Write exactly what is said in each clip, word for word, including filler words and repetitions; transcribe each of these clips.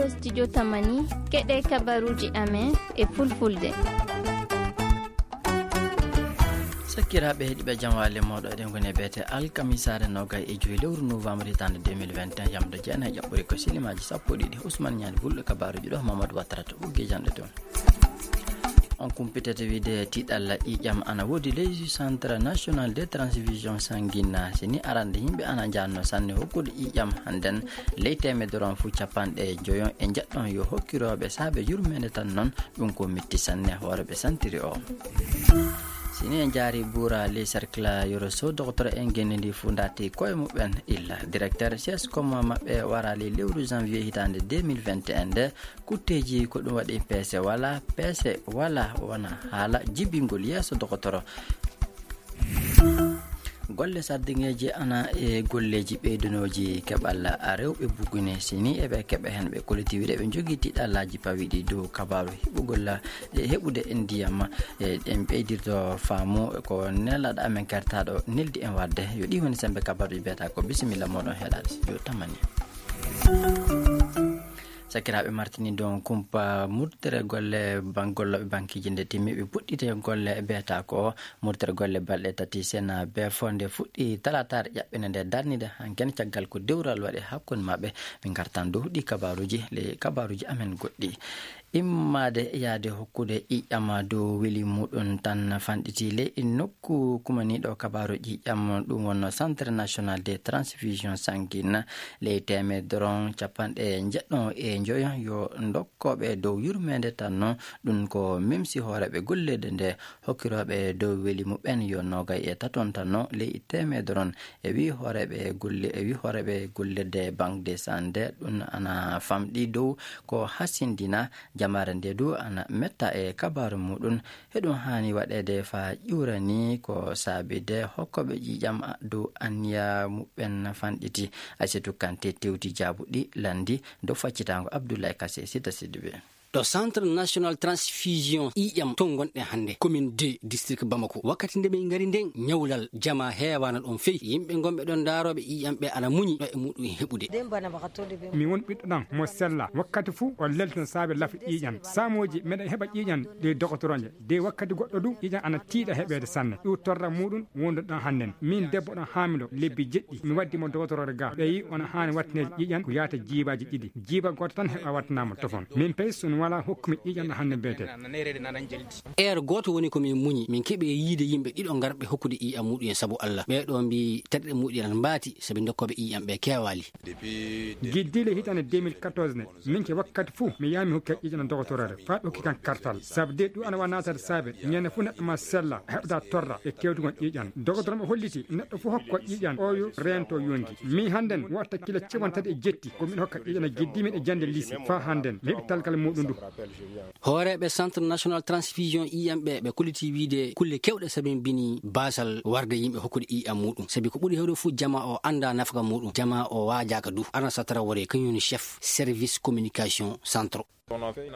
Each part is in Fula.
Studio Tamani, keɗe kabaruuji amen e fulfulde. Sakkiraaɓe heɗiiɓe, jam waale mooɗo, eɗen ngoni e beete alkamisaare nogay e joyi lewru novembre hitaande deux mille vingt et un, yamde jeenayi e ƴaɓɓori ko sinimaaji sappo e ɗiɗi. Ousmane Ñaani Bulɗo kabaruuji ɗo, Mamadou Wattara to ɓoggi jannde toon. On kumpitete wiide tiiɗalla ƴiiƴam ana woodi leydi Centre National de Transfusion Sanguine. Si ni arande yimɓe ana njanno sanne hokkude ƴiiƴam hannden ley teemedere on fuu capanɗe joyo e njeɗɗon yo hokkirooɓe saabe yurmeende tan noon, ɗum ko mitti sanne hoore ɓe santiri o. Si ni en njaari buura ley cercle yoro so docteur en genndi ndi fuu ndaati koye muɓɓen illa directeur C S com maɓɓe wara ley lewru janvier hitaande deux mille vingt et un nde. Kutteeji ko ɗum waɗi peese wala, peese wala wona haala jibingol yeeso dogotoro. Golle sardiŋeeji ana e golleeji ɓeydunooji keɓal rewɓe bugune, si ni eɓe keɓa heen ɓe koliti wiide ɓe njogii tiiɗallaaji pawiiɗi dow kabaaru heɓugol, e heɓude ndiyam, e ɗen ɓeydirto faamu ko nelaɗo amen kertaaɗo neldi en waɗde. Yo ɗi woni sembe kabaaruji mbiyata ko bisimilla mooɗon heɗaade studio Tamani. Sakiraaɓe martini don kumpa murtere golle ban-, gollooɓe bankiiji nde timmi ɓe puɗɗite golle biyata ko murtere golle balɗe tati sena be fonde fuɗɗi talataare ƴaɓɓene nde darnide hanken caggal ko dewral waɗi hakkunde maɓɓe. Min ngartan dow ɗi kabaruuji, le kabaruuji amen goɗɗi. Immade yaade hokkude ƴiƴam dow weli muɗum tan fanɗiti ley nokku kumaniiɗo kabaaru ƴiƴam, ɗum wonno Centre National de Transfusion Sanguine. Ley teemedere on capanɗe njeɗɗo e njoyo yo ndokkooɓe dow yurmeende tan non, ɗum ko mimsi hooreeɓe golleede nde hokkirooɓe dow weli muɓɓen yo noogay e taton tan non ley teemedere on. E wi hooreeɓe golle, e wi hooreeɓe gollirde Banque de Santé, ɗum ana famɗi dow ko hasindina jamaare nde du ana metta e kabaaru muɗum. Heɗum haani waɗeede faa ƴuurani ko saabide hokkooɓe ƴiiƴam dow anniya muɓɓen fanɗiti. Aysatu Kante tewti jaabuɗi lanndi dow faccitaango Abdoulaye Kassé Sita Sidibé. Ɗo Centre National Transfusion ƴiiƴam ton ngonɗen hannde, commune deux, district Bamako. Wakkati nde min ngari nden, ñawlal jama heewaana ɗon fey. Yimɓe ngonɓe ɗon ndaarooɓe ƴiiƴam ɓe ana muñi ɗo e muɗum heɓude. Mi won ɓiɗɗo ɗan mo sella. Wakkati fuu o lelton saabe lafi ƴiiƴam. Saamooji meɗen heɓa ƴiiƴam ɗe dogotoroje. De wakkati goɗɗo du, ƴiiƴam ana tiiɗa heɓeede sanne. Ɗum torra muɗum wonduɗo ɗon hannden. Min debbo ɗon haamilo lebbi jeɗɗi. Mi waddi mo dogotoroore ga. Ɓe yi on haani wattineede ƴiiƴam ko yaata jiibaaji ɗiɗi. Jiiba gooto tan heɓa wattanaama tofon. Min pay so mi walaa hokkumi ƴiiƴam ɗo hannden beetee. Heure gooto woni ko min muñi. Min keɓi yiide yimɓe ɗiɗo ngarɓe hokkude ƴiiƴam muɗum en sabu Allah. Ɓee ɗoo mbii terɗe muɗum en mbaati sabi dokkooɓe ƴiiƴam ɓe keewaali. Giddiile hitaande deux mille quatorze ne, min ke wakkati fuu mi yaha mi hokka ƴiiƴam dogotoroore. Faa ɓe hokki kan kartal. Sabu de ɗum ana wa naatata saabe. Ñande fuu neɗɗo ma sella, heɓda torra e kewtugol ƴiiƴam. Dogotoro mo holliti neɗɗo fuu hokko ƴiiƴam, o yo reento yonki. Min hannden watta kilo capanɗe tati e jetti, ko miɗo hokka ƴiiƴam giddiimi e jannde lycée. Faa hannden, mi heɓi talkal muɗum ndu. Hooreeɓe Centre National Transfusion ƴiiƴam ɓe, ɓe kolliti wiide kulle kewɗe sabimbini baasal warde yimɓe hokkude ƴiiƴam muɗum. Sabi ko ɓuri heewde fuu, jamaa o anndaa nafaka muɗum, jamaa o waajaaka du. Arna Satara Wore, kañum woni chef service communication centre.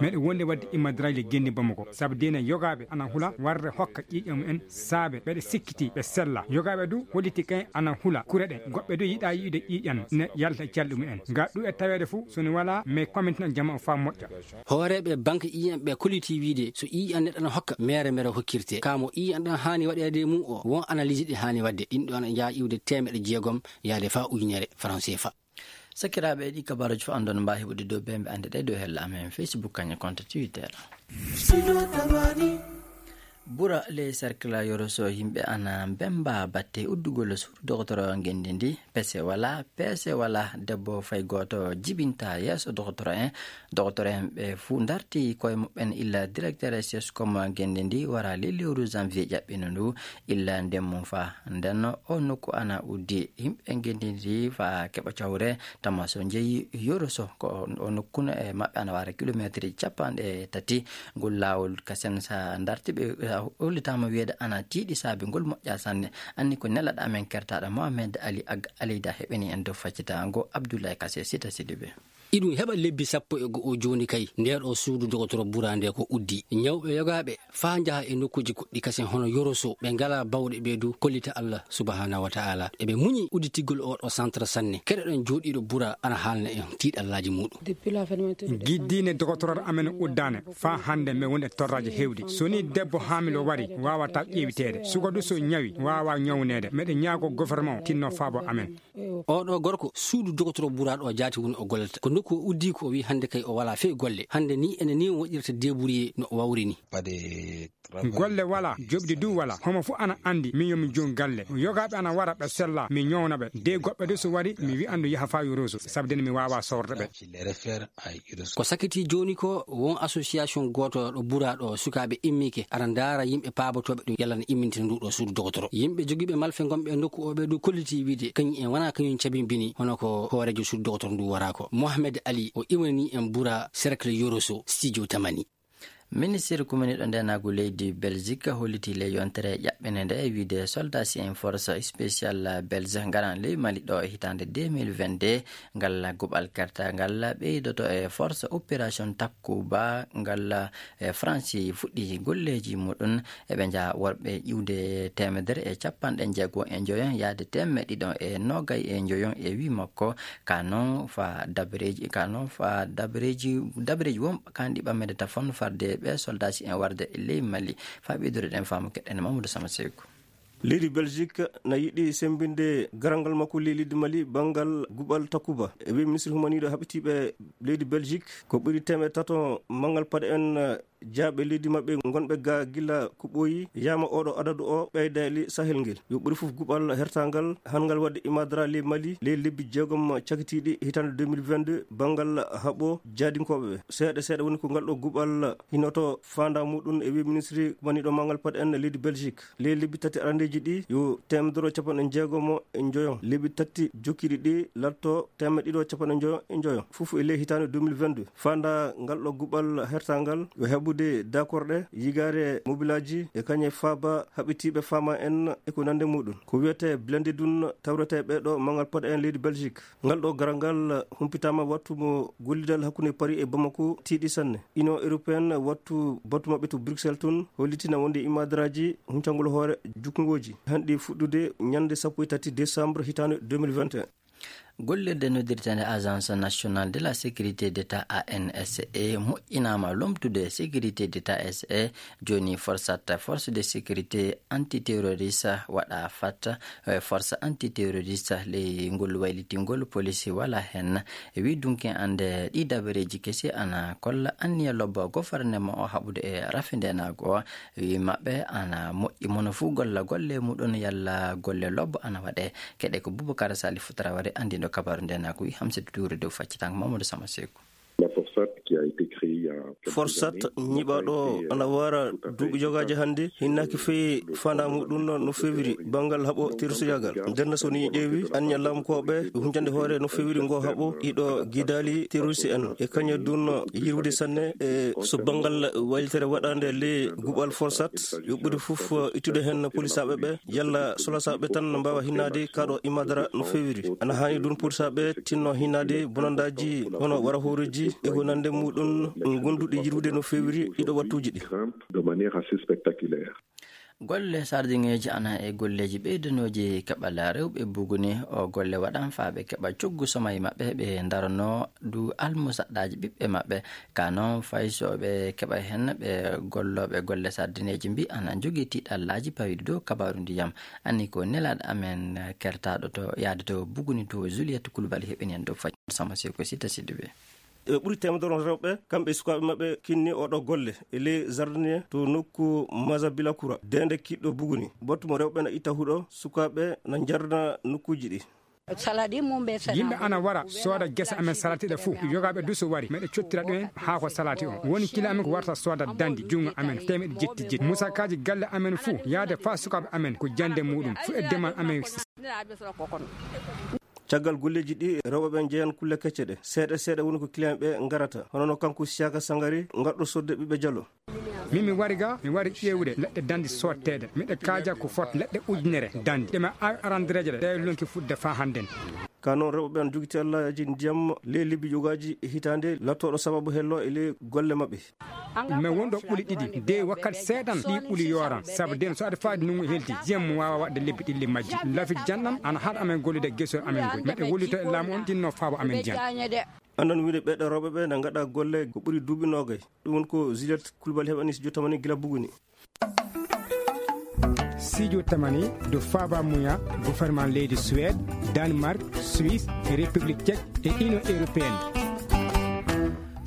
Meɗen wonde wadde immadraji e genndi Bamako, sabu deena yogaaɓe ana hula warde hokka ƴiiƴam en saabe ɓeɗe sikkiti ɓe sella. Yogaaɓe du holliti kay ana hula kure ɗe, goɗɓe du yiɗa yi'ude ƴiiƴam ne yalta e calɗi mumen. Nga ɗu e taweede fuu, so ne wala, mais komintina jama o faa moƴƴa. Hooreeɓe banque ƴiiƴam ɓe kolliti wiide so ƴiiƴam neɗɗo na hokka, mere mere hokkirte. Ka mo ƴiiƴam ɗam haani waɗeede e mum o, won analyse ɗi haani waɗde. Ɗin ɗo ana njaha iwde teemeɗɗe jeegom yaade faa ujunere franc C F A. Sakiraaɓe, ɗi kabaaruuji fof anndon mbaa heɓude dow bembe annde ɗe dow hella amen Facebook kañe compte Twitter. Bura ley cercle Yoro so yimɓe ana mbemba batte uddugol suudu dogotoro ngenndi ndi, pese wala, peese wala, debbo fay gooto jibinta yeeso dogotoro en. Dogotoro en ɓe fuu ndarti koye muɓɓen illa directeur sescom ngenndi ndi wara ley lewru janvier ƴaɓɓino ndu illa ndemmu fa. Nden o nokku ana uddi yimɓe ngenndi ndi fa keɓa cawre. Tama so njeyi Yoro so ko o nokkuno e maɓɓe ana wara kilometre capanɗe tati. Ngol laawol kasen sa darti ɓe, a hollitaama wiyeede ana tiiɗi saabe ngol moƴƴa sanne. Anni ko nelaɗo amen kertaaɗo Mohamed Ali Ag Aleyda heɓeni en dow faccitaango Abdoulaye Kassé Sita Sidibé. Iɗum heɓa lebbi sappo e go'o jooni kay, nder o suudu dogotoro Bura nde ko uddi. Ñawɓe yogaaɓe faa njaha e nokkuuji goɗɗi kasen hono Yoroso, ɓe ngalaa bawɗe ɓe du kollita Allah subhanahu wa ta'ala. Eɓe muñi udditigol o ɗo centre sanne. Keɗoɗen jooɗiiɗo Bura ana haalna en tiiɗallaaji muuɗum. Depuis la fermeture de Giddiine dogotoro amen uddaane, faa hannde men woni e torraaji heewɗi. So ni debbo haamilo wari, waawataa ƴeewiteede. Suka du so ñawi, waawaa ñawneede. Meɗen ñaago gouvernement o tinno faabo amen. Oɗo gorko suudu dogotoro Bura ɗo jaati woni o gollata. Ko nokku o uddi ko o wi hannde kay o wala fey golle. Hannde ni ene ni o waɗirta débrouiller no o wawri ni. Golle wala, joɓdi du wala. Homo fu ana andi min yomi joom galle. Yogaaɓe ana wara ɓe sella, mi ñawna ɓe. De goɗɓe du so wari, mi wi'an du yaha faa Yoroso, sabu den mi waawa sorde ɓe. Ko sakiti jooni ko won association gooto ɗo Bura ɗo sukaaɓe immike, ara ndaara yimɓe paabotooɓe ɗum yalla ne immintina ndu ɗo suudu dogotoro. Yimɓe jogiiɓe malfe gonɓe e nokku o ɓe du kolliti wiide kañum en wona kañum cabimbini hono ko hooreejo suudu dogotoro ndu wara ko. Mohamed Ali o iwani en Bura cercle Yoroso, studio Tamani. Ministir kumaniiɗo ndeenaagu leydi Belgique holliti le yontere ƴaɓɓinde nde e wiide soldats en force spéciale belge ngaran ley Mali ɗo e hitaande deux mille vingt-deux. Ngal guɓal kertangal ɓeydoto e force opération Takuba ngal e France fuɗɗi golleeji muɗum. Eɓe njaha worɓe ƴiwde teemedere e capanɗe jeego e njoyon yaade teemeɗɗe ɗiɗi e noogay e njoyon e wi makko. Ka noon fa dabreeji, ka noon fa dabreeji, dabreeji wonɓe kanɗi ɓammeede tafon farde ɓe soldaaji en warde e ley Mali. Fa ɓeydude ɗen faamu keɗen Mamadou Sama Seyku. Leydi Belgique na yiɗi sembinde garangal makko ley leydi Mali banngal guɓal Takuba. E wi ministre humaniiɗo haɓitiiɓe leydi Belgique ko ɓuri teemeɗɗe tato manngal paɗe en jaaɓe leydi maɓɓe gonɓe ga gila ko ɓooyi yama oɗo adadu o ɓeydayli Sahel ngel. Yo ɓuri fof guɓal hertangal han ngal waɗde imadara ley Mali ley lebbi jeegom cakitiiɗi hitaande deux mille vingt-deux banngal haɓo jaadinkooɓe ɓe. Seeɗa seeɗa woni ko ngal ɗo guɓal hinoto faanda muɗum e wi ministre maniɗo mangal paɗe en leydi Belgique. Ley lebbi tati arandeeji ɗi yo teemedere capanɗe jeegomo e njoyo. Lebbi tati jokkiiɗi ɗi latto teemeɗɗe ɗiɗo capanɗe njoyo e njoyo. Fof e ley hitaande deux mille vingt-deux. Faanda ngal ɗo guɓal hertangal yo heɓude dakorɗe, yigaare mobilaaji e kañe faaba haɓitiiɓe faama en e ko nande muɗum. Ko wiyetee blende dun tawretee ɓee ɗo mangal paɗe en leydi Belgique. Ngal ɗo garal ngal humpitaama wattu mo gollidal hakkunde Paris e Bamako tiiɗi sanne. Union européenne wattu batu maɓɓe to Bruxelles tun hollitina wonde imadaraaji huncangol hoore jukngooji hanɗi fuɗɗude ñande sappo e tati décembre hitaande deux mille vingt et un. Gollirde noddirteende Agence Nationale de la Sécurité d'État, A N S E, moƴƴinaama lomtude Sécurité d'État, S E, jooni forsat, Force de Sécurité Antiterroriste, waɗa fat, eh, Force Antiterroriste, ley ngol waylitingol, police wala hen. E wi dunki ande ɗi dabareeji kesi ana kolla anniya lobbo gouvernement o haɓude e rafi ndenago o. Wi maɓɓe ana moƴƴi mono fuu golla golle muɗum yalla golle lobbo ana waɗe. Keɗe ko Boubacar Salif Traoré, andiɗo kabaru ndenago wi Hamsatu Touré dow faccitango Mamadou Sama Seku. La Forsat qui a été créée il y a quelques Forsat années, ñiɓaɗo été, euh, ana wara tout à fait duuɓi jogaaji hannde, hinnaki feewi fanda muɗum no fewiri bangal haɓo terroristiyagal. Nden so ni ƴeewi anniya lamkoɓe huncande hoore no fewiri ngo haɓo iɗo gidali terroriste en e kañum dun yirwude sanne e so bangal waylitere waɗande le guɓal Forsat yo ɓuri fof ittude hen polisaɓe ɓe yalla solasaɓe tan no mbawa hinnade kaɗo imadara no fewiri. Ana hani dun polisaɓe tinno hinnade bonandaji hono wara hooreji e ko nande muɗum gonduɗi yirwude no fewiri ɗiɗo wattuji ɗi. De manière assez spectaculaire. Golle sardingeeji ana e golleeji ɓeydanooji keɓal rewɓe buguni. O golle waɗan faa ɓe keɓa coggu somayi maɓɓe, ɓe ndarano du almusaɗɗaaji ɓiɓɓe maɓɓe. Ka noon fay so ɓe keɓa hen ɓe gollooɓe golle sardineeji mbi ana njogii tiiɗallaaji pawiɗi dow kabaaru ndiyam. Anni ko nelaaɗo amen kertaaɗo to yaade to buguni to Juliette Coulibaly heɓini en dow fay sama seko sita sidde ɓe. E ɓuri teemedere rewɓe kamɓe e sukaaɓe maɓɓe kinni oɗo golle e ley jardinier to nokku Maza Bilakura dende kiɗɗo buguni. Battu mo rewɓe na itta huɗo sukaaɓe na jarna nokkuuji ɗi. Yimɓe ana wara sooda gese amen salatiɗe fuu. Yogaaɓe du so wari meɗe cottira ɗumen haa ko salati on woni kila amen ko warta sooda dandi junngo amen temeɗe jetti jetti musakaaji galle amen fuu yaade faa sukaaɓe amen ko jannde muɗum fuu e demal amen. Caggal golleeji ɗi rewɓe ɓen njeyan kulle kecce ɗe seeɗa seeɗa woni ko client ɓe ngarata hono no kanko Siyaka Sangari ngarɗo sodde ɓiɓɓe jalo. Min mi wari ga mi wari ƴeewde leɗɗe dandi sootteede miɗa kaaja ko fot leɗɗe ujunere dandi ɗe mi awi arandereeje ɗe ɗe lonki fuɗde faa hannden. Ka noon, rewɓe ɓe ana jogiti allaaji ndiyam ley lebbi yogaaji e hitaande, lattooɗo sababu hello e ley golle maɓɓe. Men won ɗo ɓuli ɗiɗi, dey wakkati seeɗan ɗi ɓuli yooran. Sabu den so aɗa faadi nungu helti, jiyam mo waawa waɗde lebbi ɗiɗi majji. Lafit janɗan ana haɗa amen gollude geso amen ngol. Meɗe wollito e laamu on tinno faabo amen jiyam. Andan wiide ɓeɗe rewɓe ɓe na ngaɗa golle ko ɓuri duuɓi noogay. Ɗum woni ko Juliette Coulibaly heɓani si jottama ni gila buguni. Sijo tamani do faba muya gouvernement leydi Suède, Danemark, Suisse, République Tchèque et Union Européenne.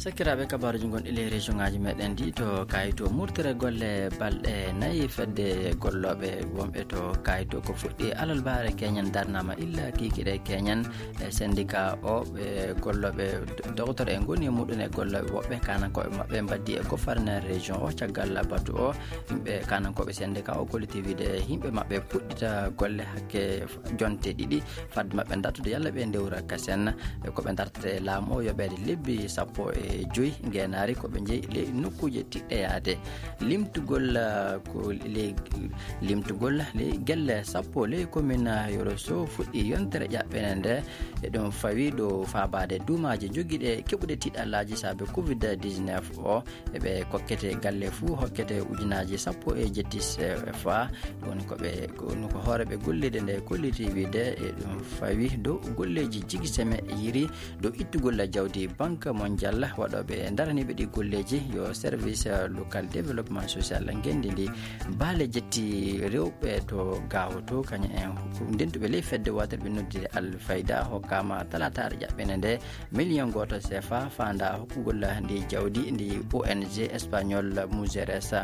Sakiraaɓe, kabaruji gonɗi ley région ngaji meɗen ɗi to kayito murtere golle balɗe nayi fedde gollooɓe wonɓe to kayito ko fuɗɗi alalbaare keñen darnama illa kikiɗe keñen e syndicat o ɓe gollooɓe d- docteur e ngoni e muɗum e gollooɓe woɓɓe kanankoɓe maɓɓe mbaddi e gouverneur région o caggal batu o. Yimɓe kanankoɓe syndicat o kolliti wiide yimɓe maɓɓe puɗɗita golle hakke jonte ɗiɗi fadde maɓɓe dartude yalla ɓe ndewra kasen. E ko ɓe dartata e laamu o yoɓeede lebbi sappo e joyi ngenaari ko ɓe jeyi ley nokkuuje tiɗɗeyaade. Limtugol ah, ko ley limtugol ley gelle sappo ley commune yoro so fuɗɗi yontere ƴaɓɓene nde. E ɗum fawi ɗo faabaade duumaaji jogiiɗe keɓuɗe tiɗallaaji saabe covid dix-neuf o. Eɓe kokkete galle fuu hokkete ujunaaji sappo e jetti cfa. Ɗum woni ko ɓe ko woni ko hooreɓe golliide nde kolliti wiide e ɗum fawi dow golleeji jigi seme yiri dow ittugol jawdi banque mondial waɗooɓe daraniiɓe ɗi golleeji yo service local développement social ngenndi ndi baale jetti rewɓe to gawoto kañum en ndentuɓe ley fedde waterɓe noddude alfayda hokkama talataare ƴaɓɓene nde million gooto cfa faanda hokkugol ndi jawdi ndi ong espagnol mujeres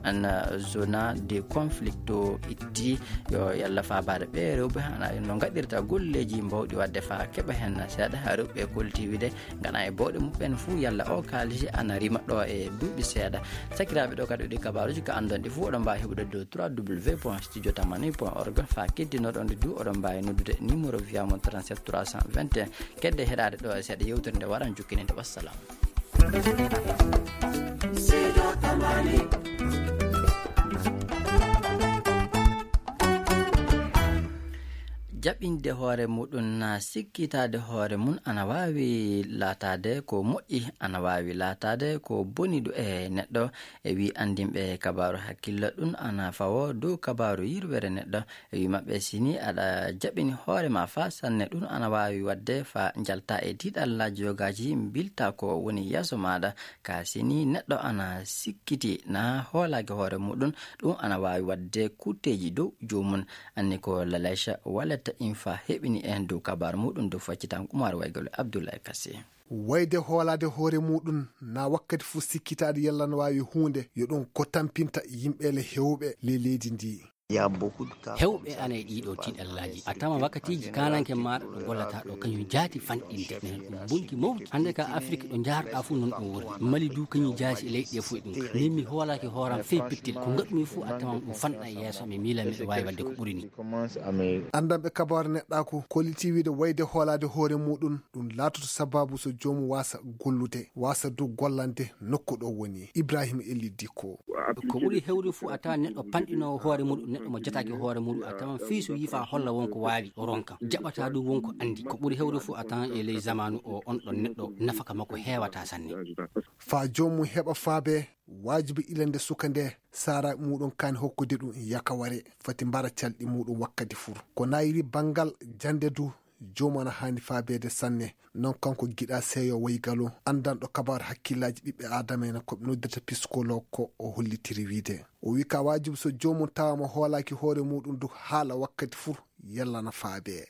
an zona de conflicto itti yo yalla faabaade ɓe rewɓe ana no gaɗirta golleeji mbawɗi waɗde fa keɓa hen seeɗa rewɓe kolti wiide ngana e bawɗe muɓɓen fuu yalla o kaalisi ana rima ɗo e duuɓi seeɗa. Sakiraaɓe, ɗo kadi ɗi kabaruji ka anndon ɗi fuu oɗon mbaawi heɓude dow trois w point studio tamani point org fa keddinoɗon ɗi du oɗon mbaawi noddude numéro via mon trente-sept trois cent vingt et un. Kedde heɗaade ɗo e seeɗa yewtere nde waran jukkininde. Wassalam. Jaɓinde hoore muɗum na sikkitaade hoore mum ana waawi laataade ko moƴƴi ana waawi laataade ko boni ɗo e neɗɗo. E wi anndinɓe kabaaru hakkillo ɗum ana fawo dow kabaaru yirwere neɗɗo. E wi maɓɓe sini aɗa jaɓini hoore ma fa sanne ɗum ana waawi waɗde fa njalta e tiiɗallaaji yogaaji mbilta ko woni yeeso maaɗa ka sini neɗɗo ana sikkiti na hoolaaki hoore muɗum. Ɗum ana waawi waɗde kutteeji dow joomum. Anni ko lalayca waletta infa heɓini en dow kabaaru muɗum dow faccitan kumar waygol abdoulaye kase. Wayde hoolaade hoore muɗum na wakkati fof sikkitaade yalla no waawi huunde yo ɗum ko tampinta yimɓeele heewɓe ley leydi ndi. Hewɓe ana e ɗiɗo tiɗallaaji a tama wakkatiiji kananke maaɗa ɗo gollata ɗo kañum jaati fanɗinde nene ɗum bonki mawdi hannde ka afrik ɗo jaarɗa fof noon ɗum woni mali du kañum jaati e leyɗe fof ɗum min mi hoolaaki hooram fey pittil ko gaɗumi fof a tama ɗum fanɗa e yeeso mi miila miɗo waawi waɗde ko ɓuri ni. Anndanɓe kabaru neɗɗaaku kolliti wiide wayde hoolaade hoore muɗum ɗum laatoto sababu so joomum waasa gollude waasa du gollande nokku ɗo woni ibrahima elli dikko. Ko ɓuri hewde fof a tawa neɗɗo panɗinoowo hoore muɗum neɗɗo mo jataaki hoore muɗum a tawan fii so yii fa holla wonko waawi ronka jaɓata ɗum wonko anndi ko ɓuri hewde fof a tawan e ley zamanu o on ɗon neɗɗo nafaka makko heewata sanne. Fa joomum heɓa faabe waajibi ilande suka nde saara muɗum kaani hokkude ɗum yakaware fati mbara calɗi muɗum wakkati fur ko nayiri banngal jannde du. Joomum ana haani faabeede sanne. Noon kanko giɗa seeyo waygalo anndanɗo kabaaru hakkillaaji ɓiɓɓe aadama en ko ɓe noddata piskolo ko o hollitiri wiide o wi ka waajibu so joomum tawama hoolaaki hoore muɗum du haala wakkati fur yallana faabe.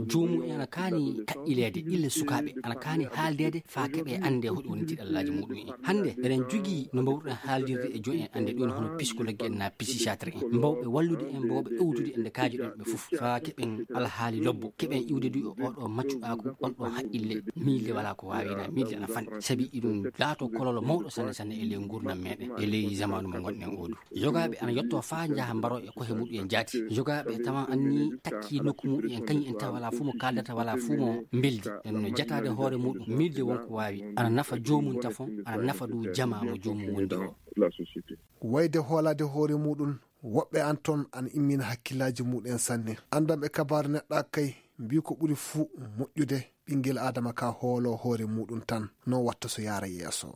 Joomum en ana kaani kaɗɗileede illa sukaaɓe ana kaani haaldeede faa keɓe annde hoɗi woni tiɗallaaji muɗum en hannde eɗen jogii no mbawruɗen haaldirde e joom en annde ɗum hono piskologue en na pisisatre en mbawɓe wallude en mbawɓe ewtude e nde kaaji ɗon ɓe fof faa keɓen alhaali lobbo keɓen iwde du e oɗo maccuɗaaku on ɗon haqqille miilde wala ko waawina miilde ana fanɗi sabi iɗum laato kololo mawɗo sanne sanne e ley ngurdam meɗen e ley zamanu mo gonɗen oɗo yogaaɓe ana yetto faa njaha mbaro e kohe muɗum en jaati yogaaɓe tawa anni takki nokku muɗum en kañum en tawa wala fuu mo kaaldata wala fuu mo mbeldi en no jataade hoore muɗum miilde wonko waawi ana nafa joomum tafon ana nafa du jama mo joomum wondi o. Wayde hoolaade hoore muɗum woɓɓe an toon ana immina hakkillaaji muɗum en sanne anndanɓe kabaaru neɗɗa kay Mbiy ko ɓuri fuu moƴƴude, ɓinngel Aadama ka hoolo hoore muuɗum tan, no watta so yaara yeeso.